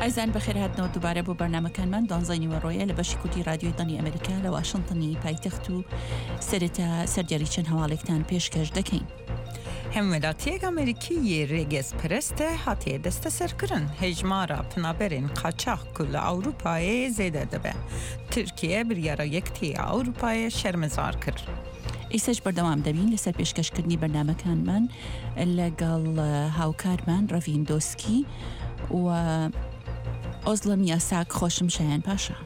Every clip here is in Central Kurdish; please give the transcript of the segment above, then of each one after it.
ئازیزان بەخێرهاتنەوە دووبارە بۆ بەرنامەکانمان دوانزەی نیوەڕۆیە لە بەشی کوردی رادیۆی دەنگی ئەمریکا لە واشنتنی پایتەخت و سەرەتا سەردێڕی چەند هەواڵێکتان پێشکەش دەکەین. Hemwelatiyek Amerîkî yê rêgezperest e hatiye desteserkirin. Hejmara penaberên qaçax ku li Ewropayê zêde dibe. Tirkiye biryara Yekitiya Ewropayê şermezar kir. ئیستاش بەردەوام دەبین لەسەر پێشکەشکردنی بەرنامەکانمان لەگەڵ هاوکارمان ڕەڤین دۆسکی و ئۆزڵم یاساک خۆشم شایان پاشا.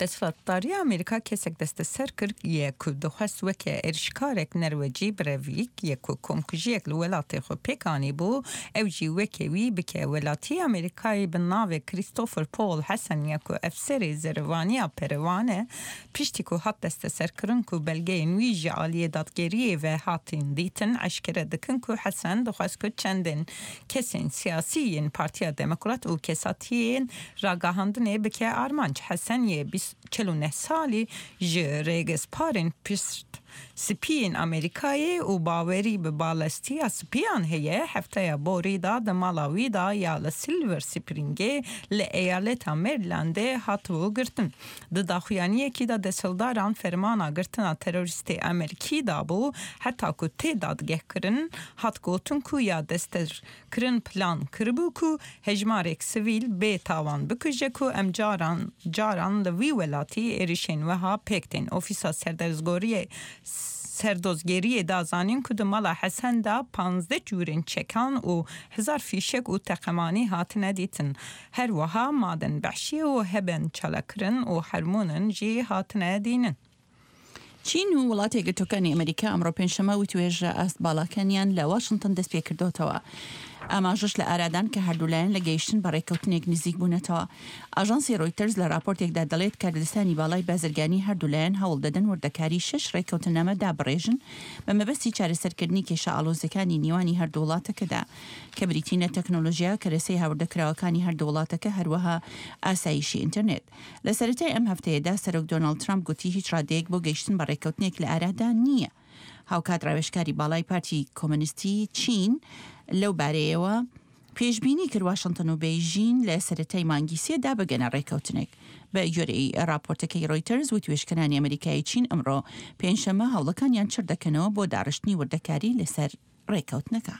Desthilatdariya Amerîka kesek desteser kir ye ku dixwest weke êrişkarek Nerwecî Brevîk ye ku komkujiyek li welatê xwe pêk anîbû, ew jî weke wî bike. Welatiyê Amerîkayê bi navê Christopher Paul Hesen ye ku efserê zerevaniya perewan e, piştî ku hat desteserkirin ku belgeyên wî ji aliyê dadgeriyê ve hatin dîtin, eşkere dikin ku Hesen dixwest ku çendên kesên siyasî yên Partiya Demokrat û kesatiyên ragihandinê bike armanc. Hesen yê 49 salî ji rêgezparên pişt spiyên Amerîkayê û bawerî bi balestiya spiyan heye, hefteya borî da di mala wî da ya li Silver Springê li eyaleta Marylandê hatibû girtin. Di daxuyaniyekî de desthilatdaran fermana girtina terorîstê Amerîkî dabû, heta ku tê dadgehkirin hat gotin ku ya desteserkirin plan kiribû ku hejmarek sivîl bê tawan bikuje ku em caran caran li vî welatî êrişên wiha pêk tên. Ofîsa Serdozgeriyê Serdozgeriyê da zanîn ku di mala Hesen de 15 cûrên çekan û hezar fîşek û teqemanî hatine dîtin. Her wiha maden behşî û heben çalakirin û hermonin jî hatine dînin. چین و وڵاتە یەکگرتووەکانی ئەمریکا ئەمڕۆ پێنجشەممە وتوێژە ئاست باڵاکانیان لە واشنتن دەستپێکردۆتەوە. ئاماژەش لە ئارادان کە هەردوولایەن لە گەیشتن بە ڕێککەوتنێک نزیک بوونەتەوە. ئاژانسی ڕۆیتەرز لە ڕاپۆرتێکدا دەڵێت کاربەدەستانی باڵای بازرگانی هەردوولایەن هەوڵ دەدەن وردەکاری شەش ڕێککەوتننامە دابڕێژن بە مەبەستی چارەسەرکردنی کێشە ئاڵۆزەکانی نێوانی هەردوو وڵاتەکەدا کە بریتین لە تەکنۆلۆژیا، کەرەسەی هاوردەکراوەکانی هەردوو وڵاتەکە هەروەها ئاسایشی ئینتەرنێت. لە سەرەتای ئەم هەفتەیەدا سەرۆک دۆناڵد ترامپ گوتی هیچ ڕادەیەک بۆ گەیشتن بە ڕێککەوتنێک لە ئارادا نییە. هاوکات ڕاوێژکاری باڵای پارتی کۆمۆنیستی چین لەو بارەیەوە پێشبینی کرد واشنتن و بەیژین لە سەرەتای مانگی سێدا بگەنە ڕێککەوتنێک. بە گوێرەی ڕاپۆرتەکەی ڕۆیتەرز وتوێژکەرانی ئەمریکایی چین ئەمڕۆ پێنجشەممە هەوڵەکانیان چڕ دەکەنەوە بۆ داڕشتنی وردەکاری لەسەر ڕێککەوتنەکە.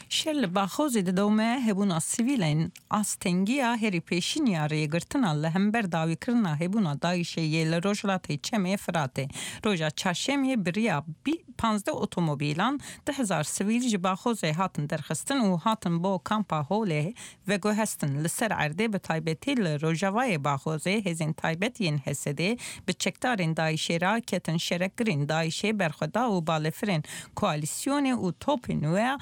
Şer li Baxozê didome, hebûna sivîlên astengiya herî pêşîn ya rêgirtina li hember dawîkirina hebûna DAIŞ'ê yê li rojhilatê Çemê Firatê. Roja çarşemê bi riya 15 otomobîlan 2000 sivîl ji Baxozê hatin derxistin û hatin bo kampa Holê veguhestin. Li ser erdê bi taybetî li rojavayê Baxozê hêzên taybet yên HSD'ê bi çekdarên DAIŞ'ê re ketin şerekirên DAIŞ'ê berxweda û balefirên koalîsyonê û topên wê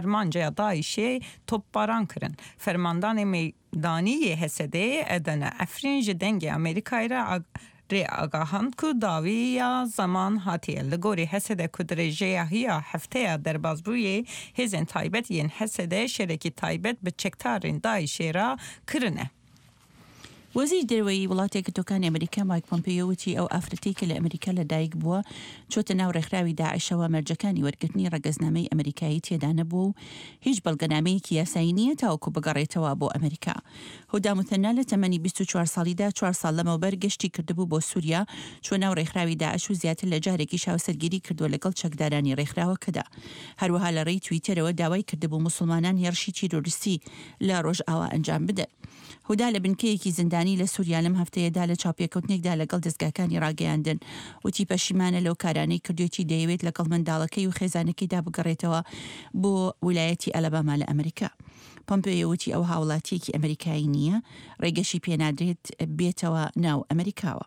armanca DAIŞ'ê topbaran kirin. Fermandanê meydanî yê HSD'ê Edene Efrîn ji Dengê Amerîkayê re rê agahand ku dawiya zeman hatiye. Li gorî HSD ku dirêjeya hiya hefteya derbasbûyê hêzên taybet yên HSD şerekî taybet bi çekdarên DAIŞ'ê re kirine. وەزیری دەرەوەی وڵاتە یەکگرتووەکانی ئەمریکا مایک پۆمپێیۆ وتی ئەو ئافرەتەی کە لە ئەمریکا لە دایک بووە چۆتە ناو ڕێکخراوی داعشەوە مەرجەکانی وەرگرتنی ڕەگەزنامەی ئەمریکایی تێدا نەبووە و هیچ بەڵگەنامەیەکی یاسایی نییە تاوەکو بگەڕێتەوە بۆ ئەمریکا. هودا موثەنا لە تەمەنی 24 ساڵیدا چوار ساڵ لەمەوبەر گەشتی کردبوو بۆ سوریا چووە ناو ڕێکخراوی داعش و زیاتر لە جارێکیش هاوسەرگیری کردووە لەگەڵ چەکدارانی ڕێکخراوەکەدا. هەروەها لە ڕێی تویتەرەوە داوای کردبوو موسڵمانان هێڕشی تیرۆریستی لە ڕۆژئاوا ئەنجام بدەن. هودا لە بنکەیەکی زیندانی لە سوریا لەم هەفتەیەدا لە چاوپێکەوتنێکدا لەگەڵ دەزگاکانی ڕاگەیاندن وتی پەشیمانە لەو کارانەی کردوێتی دەیەوێت لەگەڵ منداڵەکەی و خێزانەکەیدا بگەڕێتەوە بۆ ویلایەتی ئەلەباما لە ئەمریکا. پۆمپێیۆ وتی ئەو هاوڵاتیەکی ئەمریکایی نییە، ڕێگەشی پێنادرێت بێتەوە ناو ئەمریکاوە.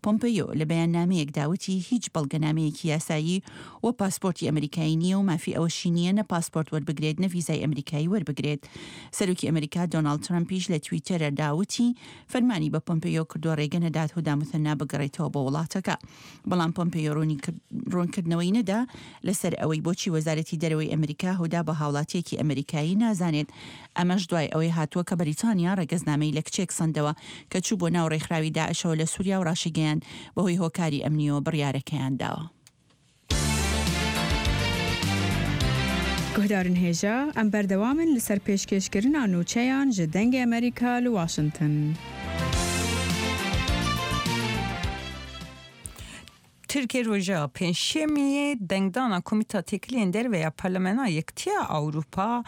پۆمپێیۆ لە بەیاننامەیەکدا وتی هیچ بەڵگەنامەیەکی یاسایی و پاسپۆرتی ئەمریکایی نییە و مافی ئەوەشی نییە نە پاسپۆرت وەربگرێت نە ڤیزای ئەمریکایی وەربگرێت. سەرۆکی ئەمریکا دۆناڵد ترەمپیش لە تویتەردا وتی فەرمانی بە پۆمپێیۆ کردووە ڕێگە نەدات هودا موثەنا بگەڕێتەوە بۆ وڵاتەکە. بەڵام پۆمپێیۆ ڕوونکردنەوەی نەدا لەسەر ئەوەی بۆچی وەزارەتی دەرەوەی ئەمریکا هودا بە هاوڵاتییەکی ئەمریکایی نازانێت، ئەمەش دوای ئەوەی هاتووە کە بەریتانیا ڕەگەزنامەی لە کچێک سەندەوە کە چووبووە ناو ڕێکخراوی داعشەوە لە سوریا و ڕاشیگەیاند بەهۆی هۆکاری ئەمنییەوە بڕیارەکەیان داوە. Guhdarên hêja, em berdewam in li ser pêşkêşkirina nûçeyan ji Dengê Amerîka li Washington. Tirkiye roja Pêncşemiyê dengdana Komîta Têkiliyên Derve ya Parlamena Yekitiya Ewropa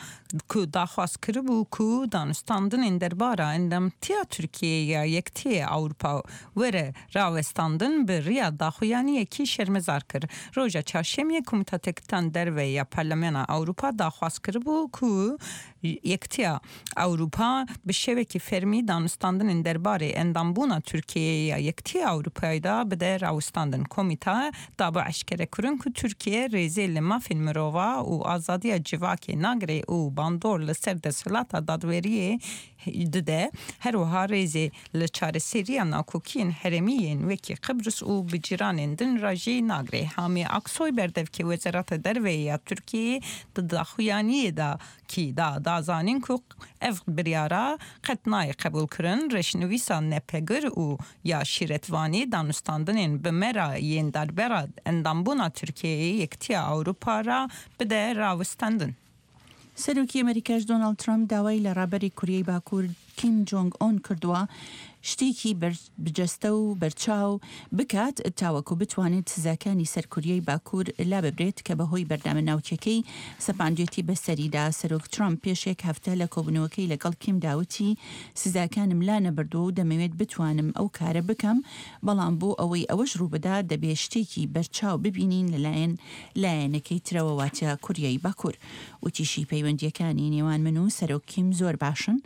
ku daxwaz kiribû ku danûstandinên derbara endamtiya Tirkiyeyê ya Yekitiyê Ewropa were rawestandin bi riya daxuyaniyekî şermezar kir. Roja Çarşemiyê Komîta Têkiltan Derve ya Parlamena Ewropa daxwaz kiribû ku Yekitiya Ewropa bi şevekî fermî danûstandinên derbarê endambûna Tirkiyeyê ya Yekitiya Ewropayê de bide rawestandin. Komîta dabû eşkerekirin ku Tirkiye rêzê li mafên mirova û azadiya civakê nagire û bandor li ser desthilata dadweriyê dide, her wiha rêzê li çareseriya nakokiyên herêmî yên wekî Qibris û bi cîranên din re jî nagire. Hamî Aksoy berdevkê Wezareta Derveyê ya Tirkiyeyê di daxuyaniyê de kî da da zanîn ku ev biryara qet nayê qebûlkirin, reşnivîsa nepegir û ya şîretvanî danûstandinên bi me re yên darbera endambûna Tirkiyeyê Yekitiya Ewropa re bide rawestandin. سەرۆکی ئەمەریکاش دۆناڵد ترەمپ داوای لە ڕابەری کوریای باکوور کیم جۆنگ ئۆن کردووە شتێکی بەرجەستە و بەرچاو بکات تاوەکو بتوانێت سزاکانی سەر کوریای باکوور لاببرێت کە بەهۆی بەرنامە ناوکیەکەی سەپاندوێتی بەسەریدا. سەرۆک ترەمپ پێش یەک هەفتە لە کۆبوونەوەکەی لەگەڵ کیمدا وتی سزاکانم لانەبردووە و دەمەوێت بتوانم ئەو کارە بکەم، بەڵام بۆ ئەوەی ئەوەش ڕووبدات دەبێت شتێکی بەرچاو ببینین لەلایەن لایەنەکەی ترەوە واتە کوریای باکوور. وتیشی پەیوەندییەکانی نێوان من و سەرۆک کیم زۆر باشن،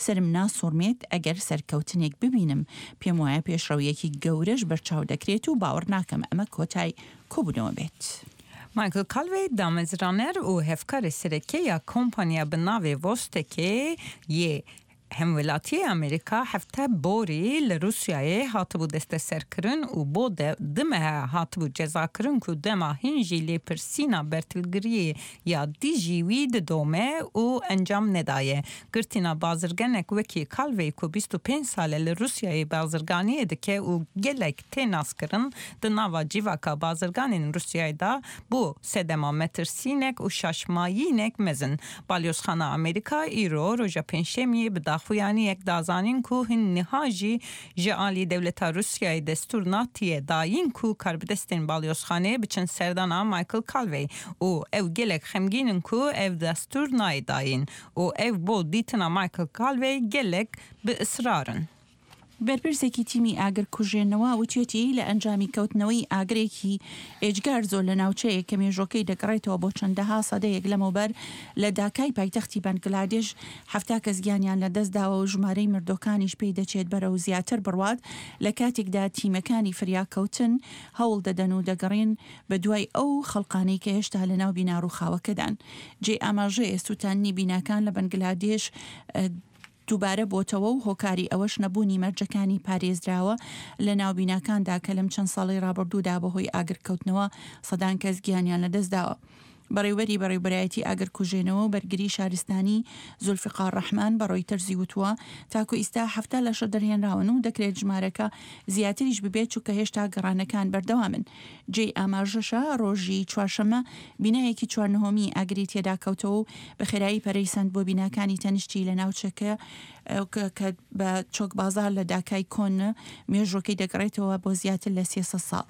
سەرم ناسوڕمێت ئەگەر سەرکەوتنێک ببینم، پێموایە پێشڕەوییەکی گەورەش بەرچاو دەکرێت و باوەڕ ناکەم ئەمە کۆتای کۆبوونەوە بێت. مایکل کالڤی دامەزرانەر و هەڤکارê sereke ya kompanya bi navê Vostekê yê Hemwelatiyê Amerîka hefte borî li Rûsyayê hatibû desteserkirin û bo du mehe hatibû cezakirin ku dema hîn jî lêpirsîna bertilgiriyê ya dijî wî didome û encam nedaye. Girtîna bazirgenek wekî Kalvey ku 25 sal e li Rûsyayê bazirganiyê dike û gelek tê naskirin di nava civaka bazirganên Rûsyayê de bû sedema metirsînek û şaşmayînek mezin. Balyozxana Amerîka îro roja Pêncşemiyê bi daxuyaniyek da zanîn ku hin niha jî ji alî dewleta Rûsyayê destûr natiye dayîn ku karbidestên balyozxaneyê biçin serdana Michael Calvey û ew gelek xemgîn in ku ev destûr nayê dayîn û ew bo dîtina Michael Calvey gelek bi israr in. بەرپرسێکی تیمی ئاگرکوژێنەوە وتویەتی، لە ئەنجامی کەوتنەوەی ئاگرێکی ئێجگار زۆر لە ناوچەیەک کە مێژووەکەی دەگەڕێتەوە بۆ چەندەها سەدەیەک لەمەوبەر لە داکای پایتەختی بەنگلادێش 70 کەس گیانیان لەدەستداوە و ژمارەی مردووەکانیش پێی دەچێت بەرەو زیاتر بڕوات لە کاتێکدا تیمەکانی فریاکەوتن هەوڵ دەدەن و دەگەڕێن بەدوای ئەو خەڵقانەی کە هێشتا لەناو بینا ڕووخاوەکەدان. جێی ئاماژەیە سووتاندنی بیناکان لە بەنگلادێش دووبارە بۆتەوە و هۆکاری ئەوەش نەبوونی مەرجەکانی پارێزراوە لە ناو بیناکاندا کە لەم چەند ساڵەی ڕابردوودا بەهۆی ئاگرکەوتنەوە سەدان کەس گیانیان لەدەستداوە. بەڕێوبەری بەڕێوبەرایەتی ئاگرکوژێنەوە و بەرگری شارستانی زولفیقار ڕەحمان بە ڕۆیتەرزی وتووە، تاکو ئیستا 70 لەشە دەرهێنراون و دەکرێت ژمارەکە زیاتریش ببێت چونکە هێشتا گەڕانەکان بەردەوامن. جێی ئاماژەشە ڕۆژی چوارشەممە بینایەکی چوار نهۆمی ئاگری تێدا کەوتەوە و بە خێرایی پەرەی سەند بۆ بیناکانی تەنیشتی لە ناوچەکە کە بە چۆک بازار لە داکای کۆن مێژووەکەی دەگەڕێتەوە بۆ زیاتر لە 300 ساڵ.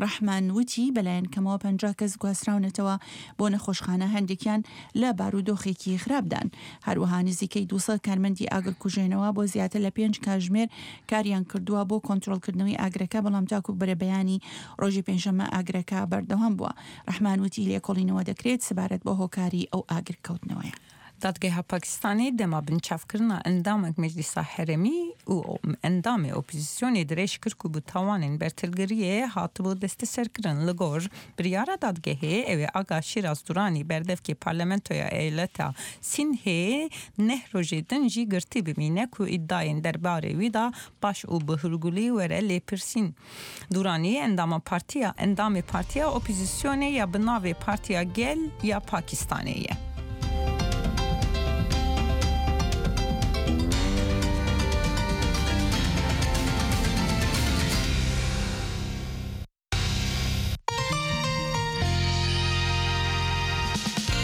ڕەحمان وتی بەلایەن کەمەوە 50 کەس گواستراونەتەوە بۆ نەخۆشخانە هەندێکیان لە بارودۆخێکی خراپدان. هەروەها نزیکەی 200 کارمەندی ئاگرکوژێنەوە بۆ زیاتر لە پێنج کاژمێر کاریان کردووە بۆ کۆنترۆڵکردنەوەی ئاگرەکە، بەڵام تاکو بەرەبەیانی ڕۆژی پێنجشەممە ئاگرەکە بەردەوام بووە. ڕەحمان وتی لێکۆڵینەوە دەکرێت سەبارەت بۆ هۆکاری ئەو ئاگرکەوتنەوەیە. Dadgeha Pakistanê dema binçavkirina endamek Meclisa Herêmî û endamê opozîsyonê dirêj kir ku bi tawanên bertilgiriyê hatibû desteserkirin. Li gor biryara dadgehê ew ê Aga Şîraz Duranî berdevkê Parlamentoya Eyaleta Sînhê neh rojê din jî girtî bimîne ku îdiayên derbarê wî de baş û bi hûrgulî were lêpirsîn. Duranî endama partiya endamê partiya opozîsyonê ya bi navê Partiya Gel ya Pakistanê ye.